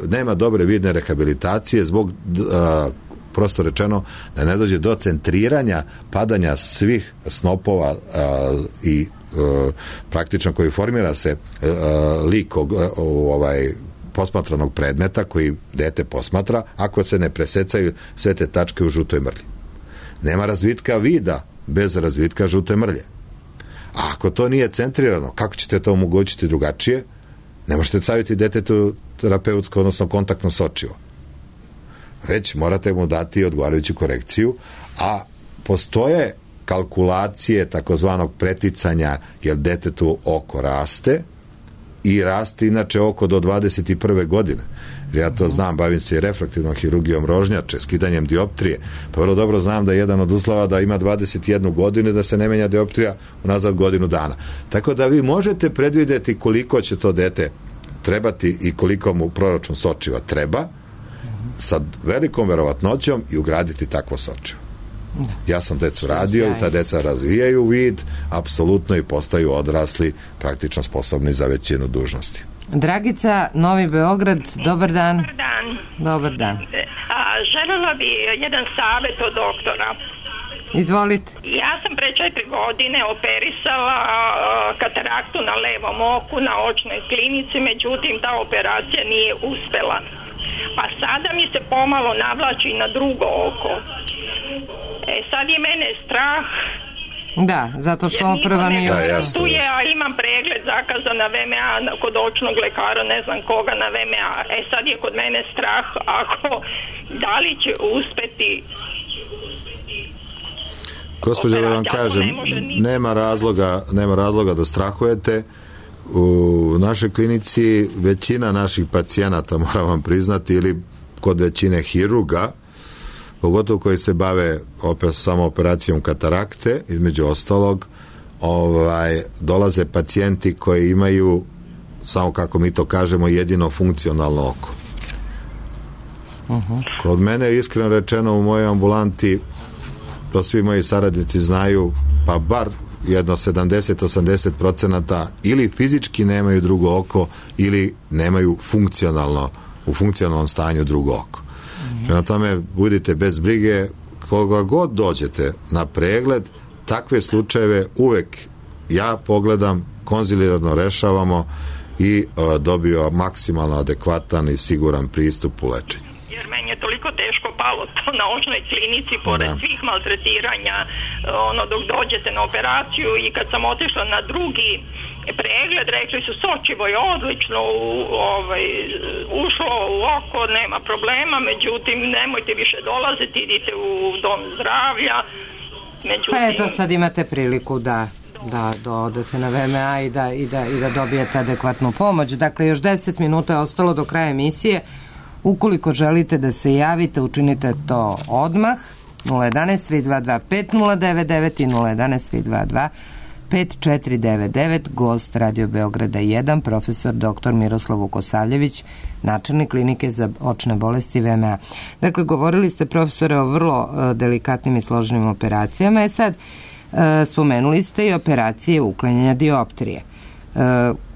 nema dobre vidne rehabilitacije zbog prosto rečeno da ne dođe do centriranja padanja svih snopova i praktično koji formira se lik posmatranog predmeta koji dete posmatra, ako se ne presecaju sve te tačke u žutoj mrlji. Nema razvitka vida bez razvitka žute mrlje. A ako to nije centrirano, kako ćete to omogućiti drugačije? Ne možete staviti detetu terapeutsko, odnosno kontaktno sočivo. Već morate mu dati odgovarajuću korekciju, a postoje kalkulacije takozvanog preticanja, jer detetu oko raste i raste inače oko do 21. godine. Ja to znam, bavim se i refraktivnom hirurgijom rožnjače, skidanjem dioptrije, pa vrlo dobro znam da je jedan od uslova da ima 21 godinu i da se ne menja dioptrija unazad godinu dana. Tako da vi možete predvidjeti koliko će to dete trebati i koliko mu proračun sočiva treba sa velikom verovatnoćom i ugraditi takvo sočivo. Ja sam decu radio i ta deca razvijaju vid apsolutno i postaju odrasli, praktično sposobni za većinu dužnosti. Dragica, Novi Beograd, dobar dan. Dobar dan. Dobar dan. Želela bi jedan savjet od doktora. Izvolite. Ja sam pre 4 godine operisala kataraktu na levom oku na očnoj klinici, međutim ta operacija nije uspela. Pa sada mi se pomalo navlači na drugo oko. Sad je mene strah. Da, zato što prva nije tu je, a imam pregled zakazan na VMA kod očnog lekara, ne znam koga na VMA. Sad je kod mene strah da li će uspeti. Gospođo, da vam kažem, nema razloga da strahujete. U našoj klinici većina naših pacijenata, moram vam priznati, ili kod većine hirurga, pogotovo koji se bave samo operacijom katarakte, između ostalog, dolaze pacijenti koji imaju, samo kako mi to kažemo, jedino funkcionalno oko. Kod mene, iskreno rečeno, u mojoj ambulanti, to svi moji saradnici znaju, pa bar jedno 70-80% ili fizički nemaju drugo oko ili nemaju u funkcionalnom stanju drugo oko. Prema tome, budite bez brige, koga god dođete na pregled, takve slučajeve uvek ja pogledam, konzilijarno rešavamo i dobio maksimalno adekvatan i siguran pristup u lečenju. Jer meni je toliko teško palo to na očnoj klinici pored svih maltretiranja dok dođete na operaciju, i kad sam otišla na drugi pregled rekli su sočivo je odlično ušlo u oko, nema problema, međutim nemojte više dolaziti, idite u dom zdravlja. Pa eto, sad imate priliku da odete na VMA i da dobijete adekvatnu pomoć. Dakle, još 10 minuta je ostalo do kraja emisije. Ukoliko želite da se javite, učinite to odmah. 011-322-5099 i 011-322-5499. Gost Radio Beograda 1, profesor dr. Miroslav Vukosavljević, načelnik klinike za očne bolesti VMA. Dakle, govorili ste, profesore, o vrlo delikatnim i složenim operacijama. Sad, spomenuli ste i operacije uklanjanja dioptrije.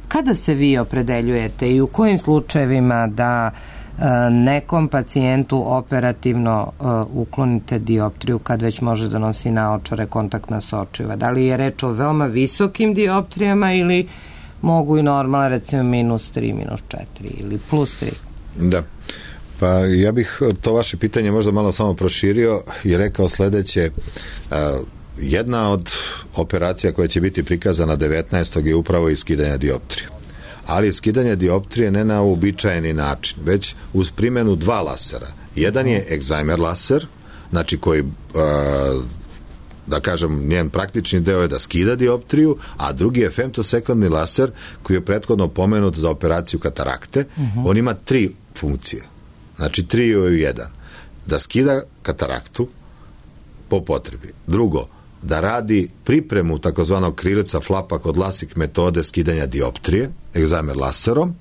Kada se vi opredeljujete i u kojim slučajevima da nekom pacijentu operativno uklonite dioptriju kad već može da nosi naočare, kontaktna sočiva? Da li je reč o veoma visokim dioptrijama ili mogu i normalno, recimo -3, -4 ili +3? Da, pa ja bih to vaše pitanje možda malo samo proširio i rekao sledeće. Jedna od operacija koja će biti prikazana 19. je upravo iskidanje dioptrije. Ali skidanje dioptrije ne na uobičajeni način, već uz primjenu 2 lasera. Jedan je Excimer laser, znači koji, da kažem, njen praktični deo je da skida dioptriju, a drugi je femtosekundni laser koji je prethodno pomenut za operaciju katarakte. On ima 3 funkcije, znači 3 u 1. Da skida kataraktu po potrebi. Drugo, da radi pripremu takozvanog krilica flapa kod LASIK metode skidanja dioptrije, Excimer laserom,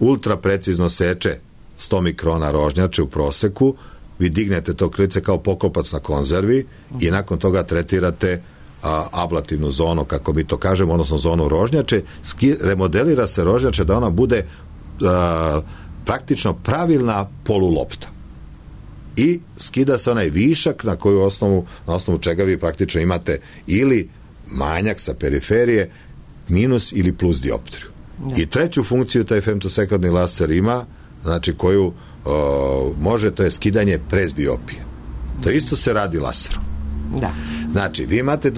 ultra precizno seče 100 mikrona rožnjače u proseku, vi dignete to krilice kao poklopac na konzervi i nakon toga tretirate ablativnu zonu, kako mi to kažemo, odnosno zonu rožnjače, remodelira se rožnjače da ona bude praktično pravilna polulopta. I skida se onaj višak na osnovu čega vi praktično imate ili manjak sa periferije, minus ili plus dioptriju. I treću funkciju taj femtosekundni laser ima, znači koju može, to je skidanje prezbiopije. To isto se radi laserom. Da. Znači, vi imate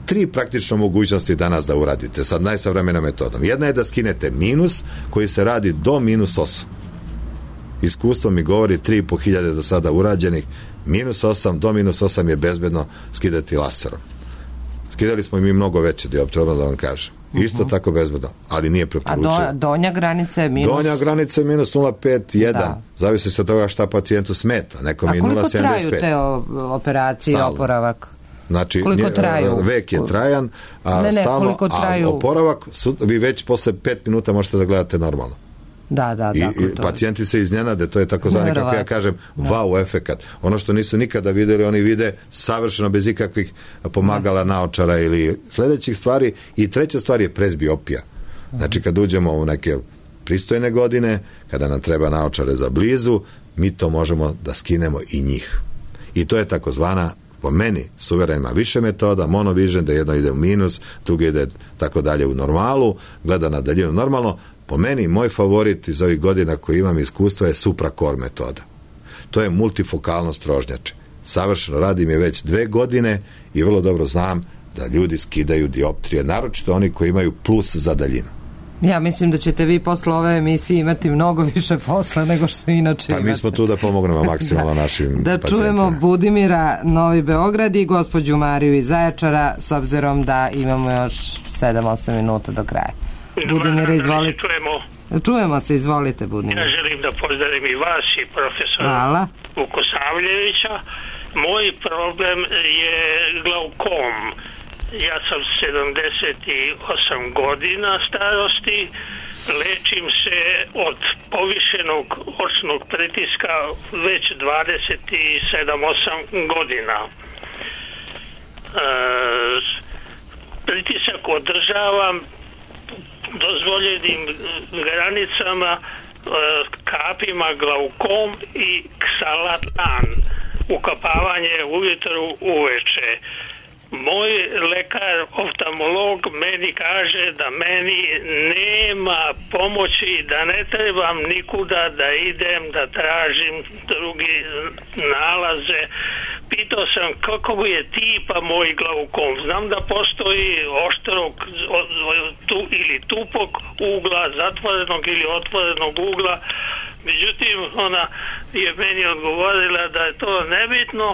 tri praktično mogućnosti danas da uradite sad najsavremenom metodom. Jedna je da skinete minus koji se radi do minus 8. Iskustvo mi govori 3.500 do sada urađenih, minus 8 do minus 8 je bezbedno skidati laserom. Skidali smo i mi mnogo veće dioptrije, da vam kažem. Isto tako bezbedno, ali nije preporučeno. A donja granica je minus? Donja granica je minus 0,5, 1. Zavisi se od toga šta pacijentu smeta. Nekom je 0,75. A koliko traju te operacije i oporavak? Znači, traju? Vek je trajan, a stalno, a oporavak, vi već posle 5 minuta možete da gledate normalno. Da. I pacijenti se iznenade, to je takozvani, kako ja kažem, wow efekat. Ono što nisu nikada videli, oni vide savršeno bez ikakvih pomagala, naočara ili sledećih stvari. I treća stvar je prezbiopija. Znači, kad uđemo u neke pristojne godine, kada nam treba naočare za blizu, mi to možemo da skinemo i njih. I to je takozvana, po meni, suveren ima više metoda, monovision, da jedno ide u minus, drugi ide tako dalje u normalu, gleda na daljinu normalno. Po meni, moj favorit iz ovih godina koji imam iskustva je SupraCore metoda. To je multifokalnost rožnjače. Savršeno radim je već 2 godine i vrlo dobro znam da ljudi skidaju dioptrije, naročito oni koji imaju plus za daljinu. Ja mislim da ćete vi posle ove emisije imati mnogo više posla nego što inače imate. Pa mi smo tu da pomognemo maksimalno našim pacijentima. Da čujemo Budimira, Novi Beograd i gospođu Mariju iz Zaječara, s obzirom da imamo još 7-8 minuta do kraja. Budimira, izvolite. Čujemo se, izvolite, Budimira. Ja želim da pozdravim i vas i profesora Vukosavljevića. Moj problem je glaukom. Ja sam 78 godina starosti, lečim se od povišenog očnog pritiska već 27-8 godina. Pritisak održavam dozvoljenim granicama, kapima glaukom i ksalatan, ukapavanje ujutru uveče. Moj lekar, oftalmolog, meni kaže da meni nema pomoći, da ne trebam nikuda da idem, da tražim drugi nalaze. Pitao sam kako je tipa moj glaukom. Znam da postoji oštrog ili tupog ugla, zatvorenog ili otvorenog ugla. Međutim, ona je meni odgovorila da je to nebitno,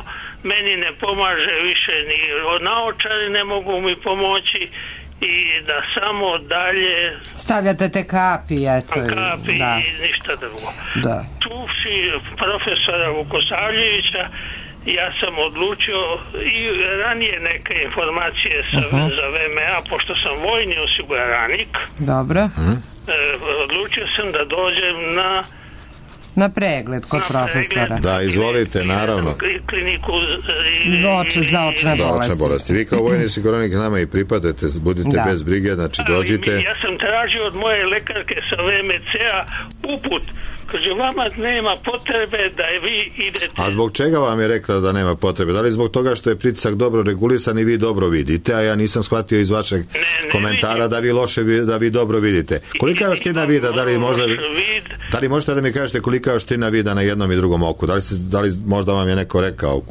meni ne pomaže više ni naočari ne mogu mi pomoći i da samo dalje stavljate te kapi, eto. Kapi i ništa drugo. Da. Čuvši profesora Vukosavljevića, ja sam odlučio i ranije neke informacije za VMA, pošto sam vojni osiguranik. Dobro. Odlučio sam da dođem na pregled kod profesora. Da, izvolite, naravno. Kliniku za očne bolesti. Vi kao vojni osiguranik nama i pripadate, budite bez brige, znači dođite. Ja sam tražio od moje lekarke sa VMC-a uput. Kaže, vama nema potrebe da vi idete. A zbog čega vam je rekla da nema potrebe? Da li zbog toga što je pritisak dobro regulisan i vi dobro vidite, a ja nisam shvatio iz vašeg komentara da vi loše, da vi dobro vidite. Kolika je oštrina vida? Da li možete da mi kažete kolika je oštrina vida na jednom i drugom oku? Da li možda vam je neko rekao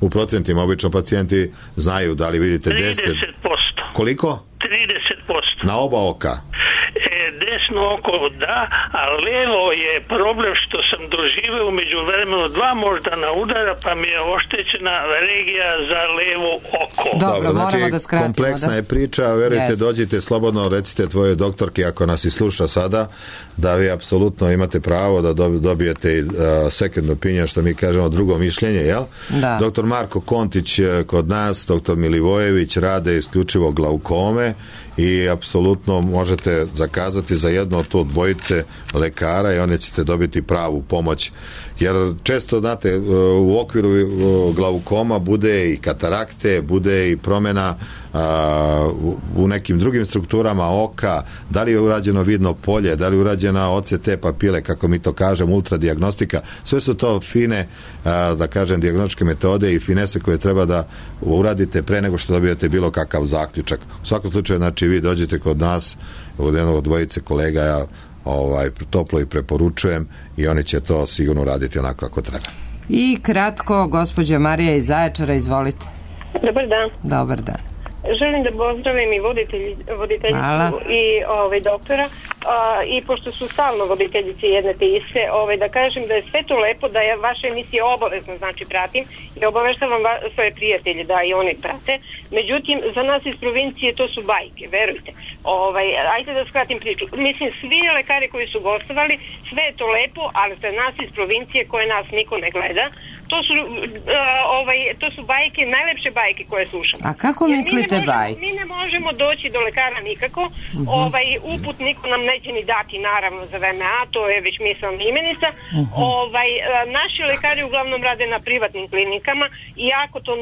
u procentima? Obično pacijenti znaju da li vidite 30%. Koliko? 30%. Na oba oka? Desno oko da, a levo je problem što sam doživeo umeđu vremenu 2 moždana udara, pa mi je oštećena regija za levo oko. Dobro, znači moramo da skratimo. Kompleksna je priča, verujte, dođite slobodno, recite tvojoj doktorki ako nas i sluša sada, da vi apsolutno imate pravo da dobijete second opinion, što mi kažemo drugo mišljenje, jel? Da. Doktor Marko Kontić kod nas, doktor Milivojević rade isključivo glaukome i apsolutno možete zakazati za jedno od to dvojice lekara i one ćete dobiti pravu pomoć. Jer često, znate, u okviru glaukoma bude i katarakte, bude i promjena u nekim drugim strukturama oka, da li je urađeno vidno polje, da li je urađena OCT papile, kako mi to kažemo, ultradijagnostika, sve su to fine, da kažem, dijagnostičke metode i finese koje treba da uradite pre nego što dobijete bilo kakav zaključak. U svakom slučaju, znači, vi dođete kod nas, od jednog od dvojice kolega, ja toplo i preporučujem i oni će to sigurno raditi onako kako treba. I kratko, gospođa Marija iz Zaječara, izvolite. Dobar dan. Dobar dan. Želim da pozdravim i voditeljicu i doktora, i pošto su stalno voditeljice jedne te iste, da kažem da je sve to lepo, da ja vaše emisije obavezno, znači, pratim i obaveštavam svoje prijatelje da i oni prate. Međutim, za nas iz provincije to su bajke, verujte. Ajde da skratim priču. Mislim, svi lekari koji su gostovali, sve je to lepo, ali za nas iz provincije koje nas niko ne gleda, to su bajke, najlepše bajke koje slušamo. A kako mislite bajke? Mi ne možemo doći do lekara nikako. Uput niko nam neće ni dati, naravno, za VMA, to je već mislena imenica. Naši lekari uglavnom rade na privatnim klinikama, iako to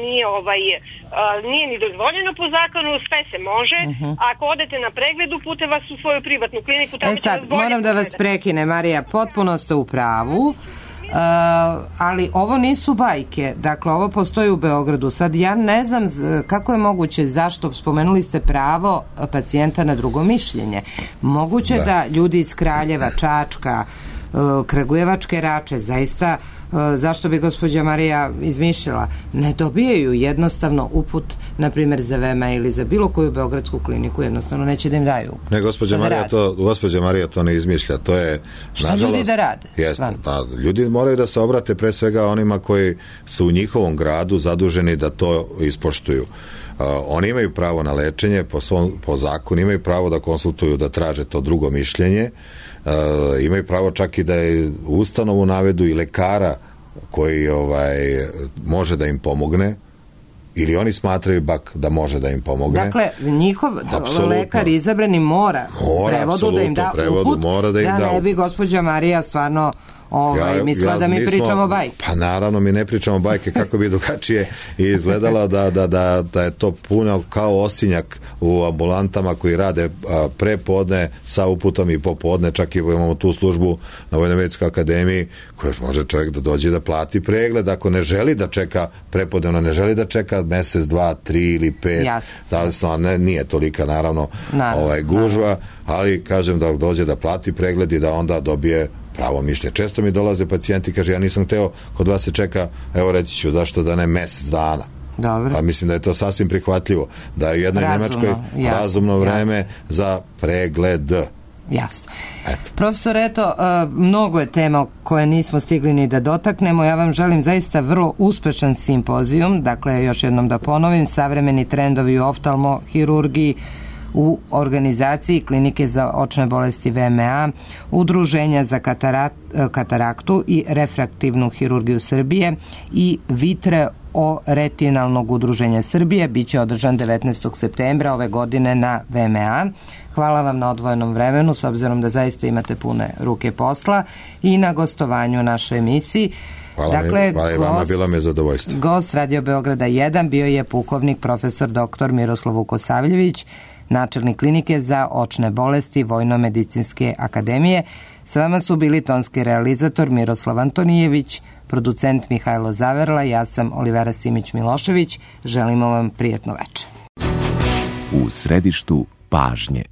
nije ni dozvoljeno po zakonu, sve se može. Ako odete na pregled, upute vas u svoju privatnu kliniku. Sad, moram da vas prekine, Marija, potpuno ste u pravu. Ali ovo nisu bajke, dakle ovo postoji u Beogradu. Sad ja ne znam kako je moguće, zašto spomenuli ste pravo pacijenta na drugo mišljenje. Moguće da ljudi iz Kraljeva, Čačka, Kragujevačke Rače, zaista, zašto bi gospođa Marija izmišljala, ne dobijaju jednostavno uput, na primjer za VMA ili za bilo koju beogradsku kliniku, jednostavno neće da im daju. Ne, gospođa Marija to ne izmišlja, to je, šta ljudi da rade? Jeste, ljudi moraju da se obrate pre svega onima koji su u njihovom gradu zaduženi da to ispoštuju. Oni imaju pravo na lečenje, po zakonu imaju pravo da konsultuju, da traže to drugo mišljenje, imaju pravo čak i da je ustanovu navedu i lekara koji može da im pomogne, ili oni smatraju da može da im pomogne. Dakle, njihov lekar izabrani mora prevodu da im da uput, da ne bi gospođa Marija stvarno mislila da mi pričamo bajke. Pa naravno, mi ne pričamo bajke, kako bi drugačije izgledalo da je to puno kao osinjak u ambulantama koji rade prepodne sa uputom i popodne, čak i imamo tu službu na Vojno-medicinskoj akademiji koja može čovjek da dođe da plati pregled, ako ne želi da čeka prepodnevno, ne želi da čeka mesec, 2, 3 ili 5, zavisno, nije tolika naravno gužva, ali kažem da dođe da plati pregled i da onda dobije pravo mišljenje. Često mi dolaze pacijenti, kaže, ja nisam hteo, kod vas se čeka, evo reći ću, zašto da ne mesec dana. Dobro. Pa mislim da je to sasvim prihvatljivo. Da je u jednoj Nemačkoj razumno vreme za pregled. Jasno. Profesor, mnogo je tema koje nismo stigli ni da dotaknemo. Ja vam želim zaista vrlo uspešan simpozijum. Dakle, još jednom da ponovim, savremeni trendovi u oftalmohirurgiji u organizaciji Klinike za očne bolesti VMA, Udruženja za kataraktu i refraktivnu hirurgiju Srbije i Vitreoretinalnog udruženja Srbije biće održan 19. septembra ove godine na VMA. Hvala vam na odvojenom vremenu, s obzirom da zaista imate pune ruke posla, i na gostovanju u našoj emisiji. Hvala i vama, bilo mi je zadovoljstvo. Gost Radio Beograda 1 bio je pukovnik profesor dr. Miroslav Vukosavljević, načelnik Klinike za očne bolesti Vojno-medicinske akademije. S vama su bili tonski realizator Miroslav Antonijević, producent Mihajlo Zaverla, ja sam Olivera Simić-Milošević. Želimo vam prijatno večer. U središtu pažnje.